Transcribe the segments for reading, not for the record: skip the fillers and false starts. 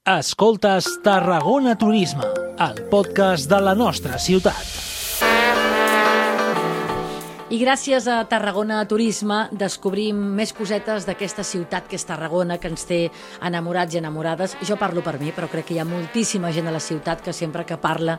Escoltes Tarragona Turisme, el podcast de la nostra ciutat. I gràcies a Tarragona Turisme descobrim més cosetes d'aquesta ciutat que és Tarragona, que ens té enamorats i enamorades. Jo parlo per mi, però crec que hi ha moltíssima gent a la ciutat que sempre que parla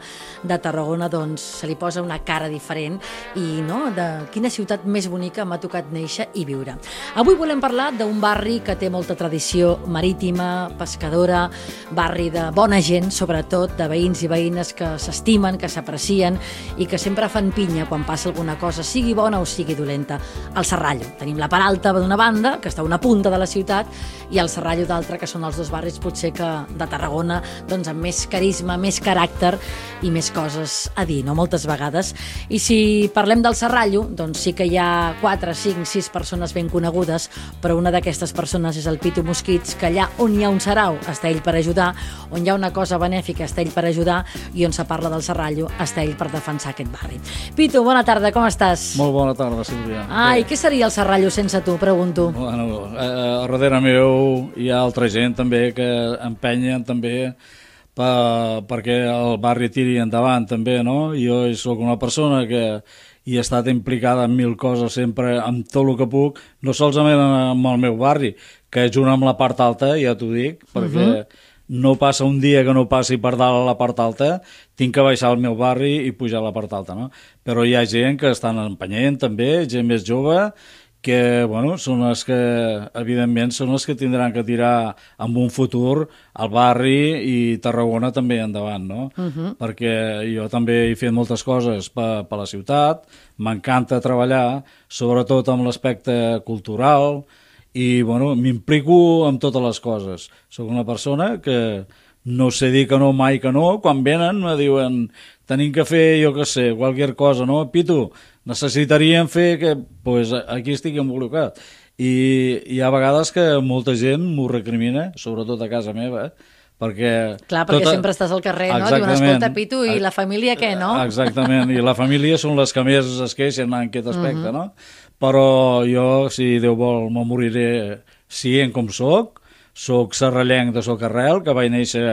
de Tarragona doncs se li posa una cara diferent i no, de quina ciutat més bonica m'ha tocat néixer i viure. Avui volem parlar d'un barri que té molta tradició marítima, pescadora, barri de bona gent, sobretot de veïns i veïnes que s'estimen, que s'aprecien i que sempre fan pinya quan passa alguna cosa, sigui bona o sigui dolenta. El Serrallo. Tenim la Peralta d'una banda, que està a una punta de la ciutat, i el Serrallo d'altra, que són els dos barris potser que de Tarragona doncs amb més carisma, més caràcter i més coses a dir, no? Moltes vegades. I si parlem del Serrallo, doncs sí que hi ha 4, 5, 6 persones ben conegudes, però una d'aquestes persones és el Pitu Mosquits, que allà on hi ha un sarau està ell per ajudar, on hi ha una cosa benèfica està ell per ajudar i on se parla del Serrallo està ell per defensar aquest barri. Pitu, bona tarda, com estàs? Molt bona tarda, Sílvia. Ai, què seria el Serrallo sense tu, pregunto? Bueno, darrere meu hi ha altra gent també que empenyen també perquè el barri tiri endavant també, no? Jo sóc una persona que hi he estat implicada en 1000 coses sempre, amb tot el que puc, no solament amb el meu barri, que junt amb la part alta, ja t'ho dic, perquè no passa un dia que no passi per dalt a la part alta, tinc que baixar al meu barri i pujar a la part alta, no? Però hi ha gent que estan empenyent també, gent més jove, que, bueno, són els que, evidentment, són els que tindran que tirar en un futur el barri i Tarragona també endavant, no? Perquè jo també he fet moltes coses per la ciutat, m'encanta treballar, sobretot amb l'aspecte cultural, i bueno, m'implico amb totes les coses. Soc una persona que no sé dir que no mai que no. Quan venen me diuen tenim que fer, jo què sé, qualsevol cosa, no? Pitu, necessitaríem fer que... Pues aquí estic involucrat. I hi ha vegades que molta gent m'ho recrimina, sobretot a casa meva, perquè... Clar, perquè sempre estàs al carrer, no? Diuen, escolta, Pitu, i la família què, no? Exactament, i la família són les que més es queixen en aquest aspecte, no? Però jo, si Déu vol, me moriré sent com soc serrallenc de Socarrel, que vaig néixer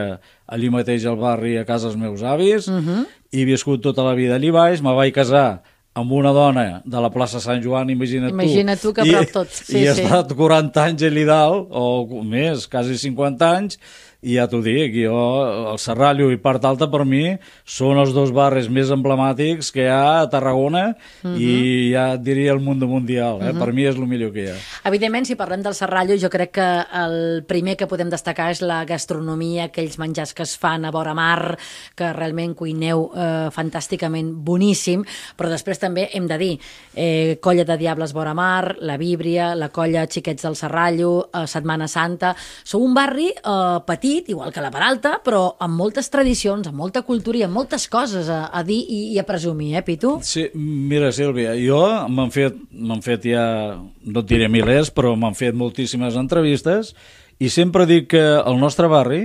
allí mateix al barri a casa dels meus avis, i he viscut tota la vida allí baix, me vaig casar amb una dona de la plaça Sant Joan, imagina't tu que prop tot. I he estat 40 anys allà dalt, o més, quasi 50 anys, i ja t'ho dic, jo, el Serrallo i Part Alta per mi són els dos barris més emblemàtics que hi ha a Tarragona i ja et diria el mundo mundial, per mi és el millor que hi ha. Evidentment, si parlem del Serrallo, jo crec que el primer que podem destacar és la gastronomia, aquells menjars que es fan a vora mar, que realment cuineu fantàsticament boníssim, però després també hem de dir Colla de Diables vora mar, la Víbria, la Colla Xiquets del Serrallo, Setmana Santa. Sou un barri petit, igual que la Peralta, però amb moltes tradicions, amb molta cultura i amb moltes coses a dir i a presumir, Pitu? Sí, mira, Sílvia, jo m'han fet ja, no et diré milers, però m'han fet moltíssimes entrevistes i sempre dic que el nostre barri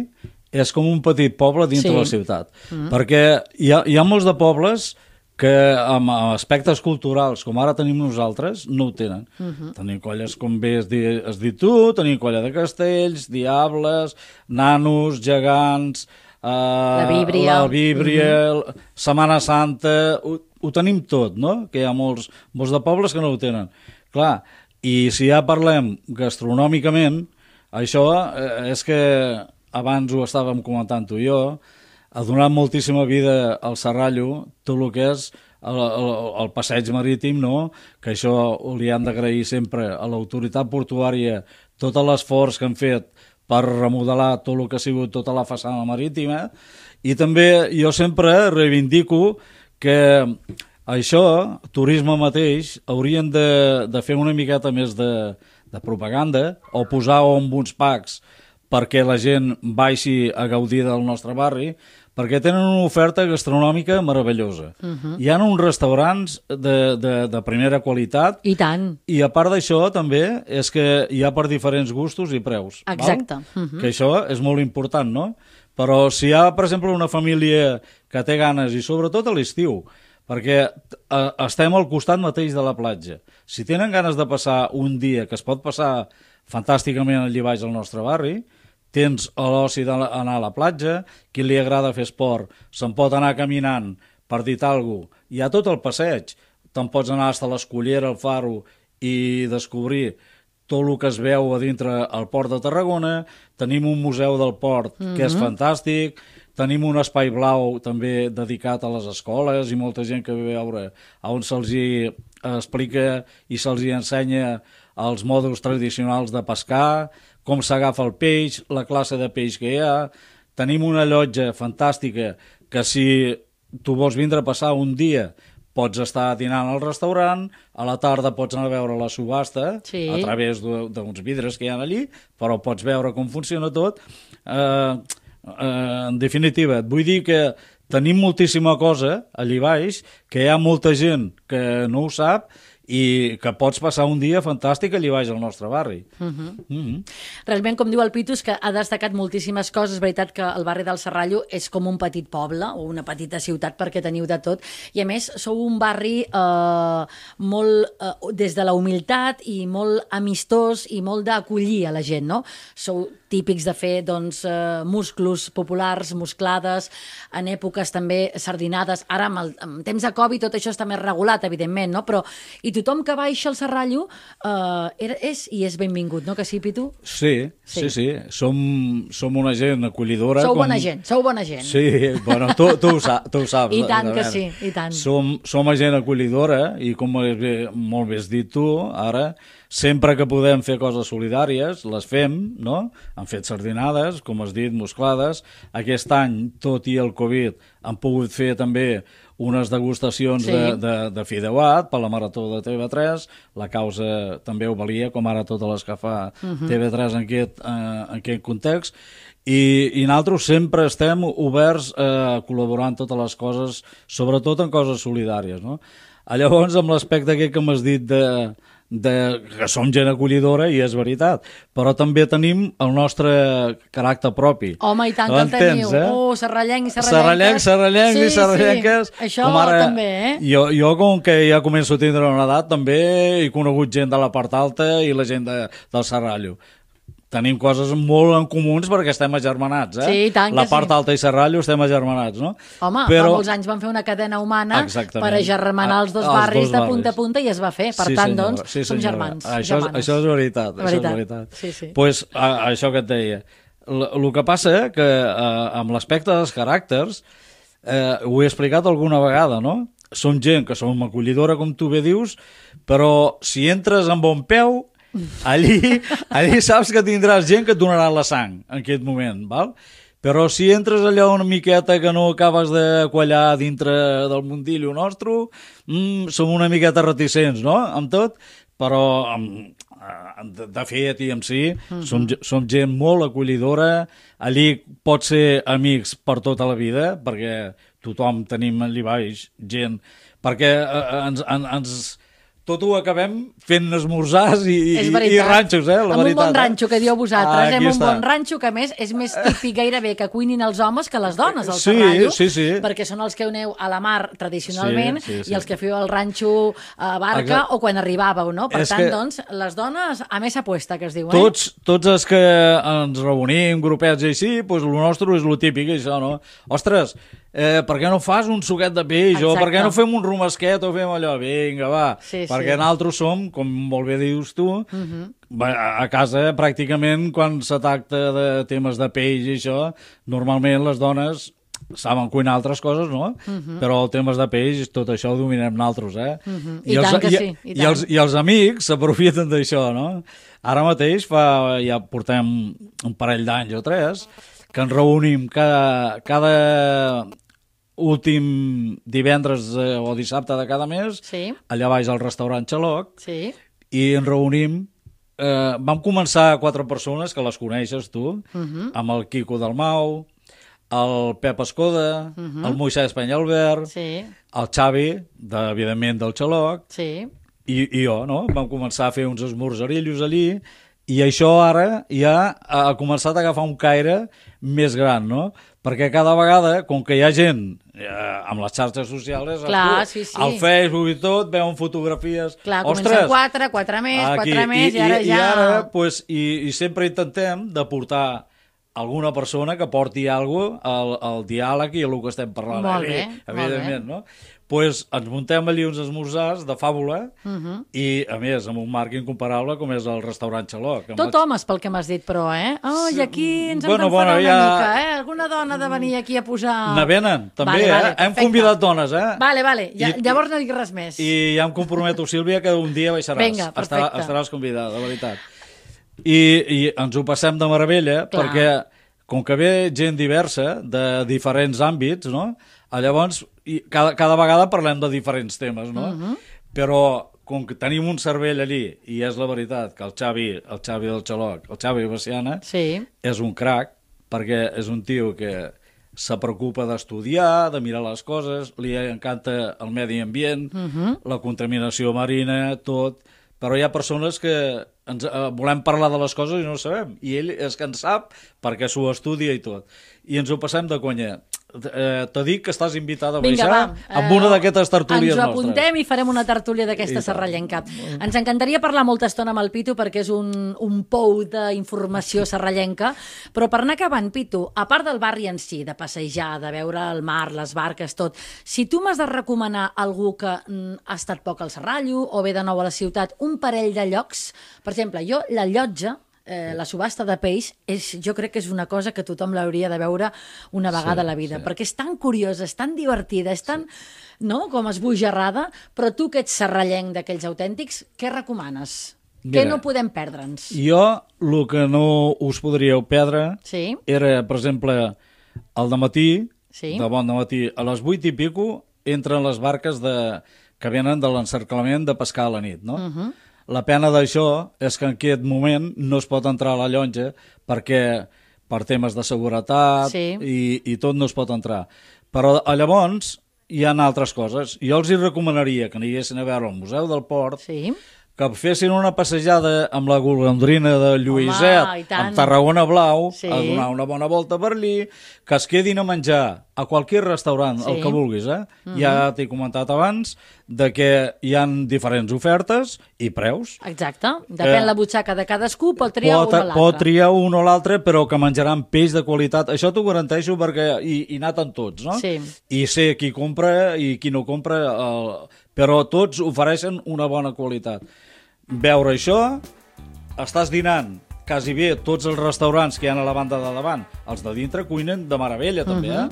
és com un petit poble dintre la ciutat, perquè hi ha molts de pobles que amb aspectes culturals, com ara tenim nosaltres, no ho tenen. Tenim colles, com bé has dit tu, tenim colla de castells, diables, nanos, gegants, la Víbria, Setmana Santa, ho tenim tot, no? Que hi ha molts de pobles que no ho tenen. Clar, i si ja parlem gastronòmicament, això és que abans ho estàvem comentant tu i jo, ha donat moltíssima vida al Serrallo, tot el que és el passeig marítim, no? Que això li han d'agrair sempre a l'autoritat portuària tot l'esforç que han fet per remodelar tot el que ha sigut tota la façana marítima, i també jo sempre reivindico que això, turisme mateix, haurien de fer una miqueta més de propaganda o posar en uns packs perquè la gent baixi a gaudir del nostre barri, perquè tenen una oferta gastronòmica meravellosa. Hi ha uns restaurants de primera qualitat. I tant. I a part d'això també és que hi ha per diferents gustos i preus. Exacte. Que això és molt important, no? Però si hi ha, per exemple, una família que té ganes, i sobretot a l'estiu, perquè estem al costat mateix de la platja. Si tenen ganes de passar un dia, que es pot passar fantàsticament allà baix al nostre barri, tens l'oci d'anar a la platja, qui li agrada fer esport se'n pot anar caminant, per dir alguna cosa. Hi ha tot el passeig, te'n pots anar fins a l'Escullera, al Faro, i descobrir tot el que es veu a dintre el Port de Tarragona. Tenim un museu del port que és fantàstic, tenim un espai blau també dedicat a les escoles i molta gent que ve a veure on se'ls hi explica i se'ls hi ensenya els mòduls tradicionals de pescar, com s'agafa el peix, la classe de peix que hi ha. Tenim una llotja fantàstica que si tu vols vindre a passar un dia pots estar dinant al restaurant, a la tarda pots anar a veure la subhasta a través d'uns vidres que hi ha allí, però pots veure com funciona tot. En definitiva, et vull dir que tenim moltíssima cosa allí baix, que hi ha molta gent que no ho sap i que pots passar un dia fantàstic allà baix al nostre barri. Realment, com diu el Pitus, que ha destacat moltíssimes coses. És veritat que el barri del Serrallo és com un petit poble o una petita ciutat perquè teniu de tot. I a més, sou un barri molt des de la humilitat i molt amistós i molt d'acollir a la gent, no? Sou típics de fer musclos populars, musclades, en èpoques també sardinades. Ara, en temps de Covid, tot això està més regulat, evidentment, no? Però tothom que baixa al Serrallo és benvingut, no que sí, Pitu? Sí. Som una gent acollidora. Sou bona gent. Sí, bueno, tu ho saps. I tant que sí, i tant. Som gent acollidora i com molt bé has dit tu, ara, sempre que podem fer coses solidàries, les fem, no? Han fet sardinades, com has dit, musclades. Aquest any, tot i el Covid, han pogut fer també unes degustacions de fideuat per la Marató de TV3. La causa també ho valia, com ara totes les que fa TV3 en aquest context. I nosaltres sempre estem oberts a col·laborar en totes les coses, sobretot en coses solidàries, no? Llavors, amb l'aspecte aquest que m'has dit que som gent acollidora, i és veritat, però també tenim el nostre caràcter propi. Home, i tant que el teniu. Serrallencs i serrallenques. Serrallencs i serrallenques. Això també, Jo, com que ja començo a tindre una edat, també he conegut gent de la part alta i la gent del Serrallo. Tenim coses molt en comuns perquè estem agermanats, Sí, i tant que la part alta i Serrallo estem agermanats, no? Home, fa molts anys van fer una cadena humana per agermanar els dos barris de punta a punta i es va fer. Per tant, doncs, som germans. Això és veritat. Sí. Pues, això que et deia. El que passa que amb l'aspecte dels caràcters, ho he explicat alguna vegada, no? Som gent que som acollidora, com tu bé dius, però si entres amb bon peu, allí saps que tindràs gent que et donarà la sang en aquest moment, val? Però si entres allò una miqueta que no acabes de quallar dintre del mundillo nostre, som una miqueta reticents, no?, amb tot, però de fet i en si som gent molt acollidora. Allí pot ser amics per tota la vida, perquè tothom tenim allà baix gent, perquè tot ho acabem fent esmorzars i ranxos, la veritat. Amb un bon ranxo, que dieu vosaltres. Amb un bon ranxo, que a més és més típic gairebé que cuinin els homes que les dones al Serrallo, perquè són els que aneu a la mar tradicionalment i els que feu el ranxo a barca o quan arribàveu, no? Per tant, doncs, les dones a més apuesta, que es diu, Tots els que ens reunim, grupets i així, doncs el nostre és el típic, això, no? Ostres, per què no fas un suquet de peix? O per què no fem un romesquet o fem allò? Vinga, va. Perquè nosaltres som, com molt bé dius tu, a casa pràcticament quan se tracta de temes de peix i això, normalment les dones saben cuinar altres coses, no? Però el temes de peix, tot això ho dominem nosaltres, I tant que sí. I els amics s'aprofiten d'això, no? Ara mateix ja portem un parell d'anys o 3 que ens reunim cada últim divendres o dissabte de cada mes, allà baix al restaurant Xaloc, i ens reunim. Vam començar 4 persones, que les coneixes tu, amb el Quico Dalmau, el Pep Escoda, el Moisès Penyalbert, el Xavi, evidentment del Xaloc, i jo, no? Vam començar a fer uns esmorzarillos allí, i això ara ja ha començat a agafar un caire més gran, no? Perquè cada vegada, com que hi ha gent amb les xarxes socials, al Facebook i tot, veuen fotografies. Clar, comencen 4 més, 4 més, i ara ja... I sempre intentem de portar alguna persona que porti alguna cosa al diàleg i el que estem parlant. Molt bé, evidentment, no? Doncs ens muntem allí uns esmorzars de fàbula i, a més, amb un marc incomparable com és el restaurant Xaloc. Tot homes, pel que m'has dit, però, Oh, i aquí ens hem d'enfadar una mica, Alguna dona ha de venir aquí a posar... Ne venen, també, Hem convidat dones, Vale. Llavors no dic res més. I ja em comprometo, Sílvia, que un dia baixaràs. Vinga, perfecte. Estaràs convidada, de veritat. I ens ho passem de meravella, perquè com que ve gent diversa, de diferents àmbits, no? Llavors, cada vegada parlem de diferents temes, no? Però com que tenim un cervell allí, i és la veritat que el Xavi del Xaloc, el Xavi Veciana, és un crac, perquè és un tio que se preocupa d'estudiar, de mirar les coses, li encanta el medi ambient, la contaminació marina, tot, però hi ha persones que volem parlar de les coses i no ho sabem, i ell és que en sap perquè s'ho estudia i tot, i ens ho passem de conya. T'ho dic que estàs invitada a baixar amb una d'aquestes tertúlies nostres. Ens ho apuntem i farem una tertúlia d'aquesta serrallenca. Ens encantaria parlar molta estona amb el Pitu perquè és un pou d'informació serrallenca, però per anar acabant, Pitu, a part del barri en si, de passejar, de veure el mar, les barques, tot, si tu m'has de recomanar algú que ha estat poc al Serrallo o ve de nou a la ciutat, un parell de llocs, per exemple, jo, la Llotja, la subhasta de peix, jo crec que és una cosa que tothom l'hauria de veure una vegada a la vida, perquè és tan curiosa, és tan divertida, és tan, com esbojarrada, però tu que ets serrallenc d'aquells autèntics, què recomanes? Què no podem perdre'ns? Jo, el que no us podríeu perdre era, per exemple, al dematí, de bon dematí, a les 8 i pico, entren les barques que venen de l'encerclament de pescar a la nit, no? La pena d'això és que en aquest moment no es pot entrar a la llotja perquè per temes de seguretat i tot no es pot entrar. Però llavors hi ha altres coses. Jo els hi recomanaria que aniguessin a veure el Museu del Port, que fessin una passejada amb la golondrina de Lluïset, amb Tarragona Blau, a donar una bona volta per allí, que es quedin a menjar a qualsevol restaurant, el que vulguis, Ja t'he comentat abans de que hi ha diferents ofertes i preus. Exacte. Depèn la butxaca de cadascú, pot triar un o l'altre. Pot triar un o l'altre, però que menjaran peix de qualitat. Això t'ho garanteixo perquè hi naten tots, no? I sé qui compra i qui no compra, però tots ofereixen una bona qualitat. Veure això, estàs dinant quasi bé tots els restaurants que hi ha a la banda de davant, els de dintre cuinen de meravella també,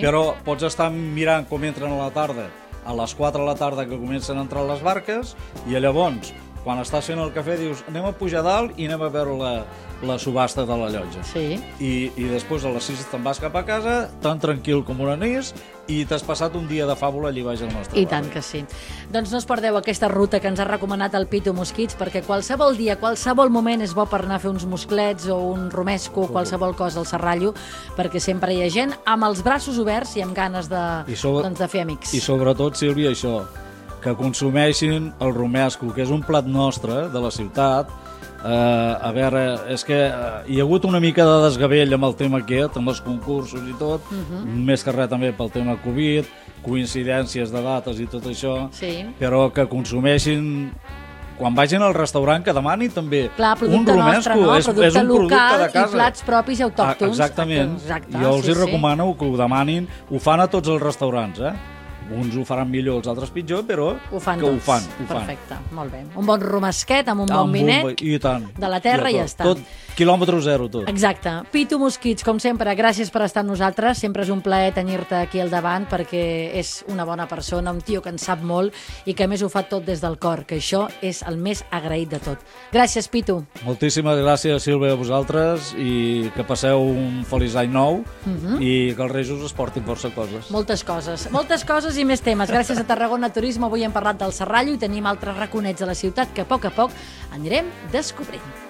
però pots estar mirant com entren a la tarda, a les 4 de la tarda que comencen a entrar les barques, i llavors, quan estàs fent el cafè, dius, anem a pujar dalt i anem a veure la subhasta de la llotja. I després a les 6 te'n vas cap a casa, tan tranquil com un anís, i t'has passat un dia de fàbula allí baix al nostre barri. I tant que sí. Doncs no us perdeu aquesta ruta que ens ha recomanat el Pitu Mosquits, perquè qualsevol dia, qualsevol moment és bo per anar a fer uns mosclets o un romesco, qualsevol cosa al Serrallo, perquè sempre hi ha gent amb els braços oberts i amb ganes de fer amics. I sobretot, Sílvia, això, que consumeixin el romesco, que és un plat nostre de la ciutat. A veure, és que hi ha hagut una mica de desgavell amb el tema aquest, amb els concursos i tot, més que res també pel tema Covid, coincidències de dates i tot això, però que consumeixin, quan vagin al restaurant, que demanin també un romesco, és un producte de casa. I plats propis i autòctons. Exactament, jo els recomano que ho demanin, ho fan a tots els restaurants, Uns ho faran millor, els altres pitjor, però que ho fan. Perfecte, molt bé. Un bon romesquet amb un bon vinet de la terra i ja està. Tot, quilòmetre zero, tot. Exacte. Pitu Mosquits, com sempre, gràcies per estar amb nosaltres. Sempre és un plaer tenir-te aquí al davant perquè és una bona persona, un tio que en sap molt i que a més ho fa tot des del cor, que això és el més agraït de tot. Gràcies, Pitu. Moltíssimes gràcies, Sílvia, a vosaltres, i que passeu un feliç any nou i que els Reis us portin força coses. Moltes coses i més temes. Gràcies a Tarragona Turisme avui hem parlat del Serrallo i tenim altres raconets de la ciutat que a poc anirem descobrint.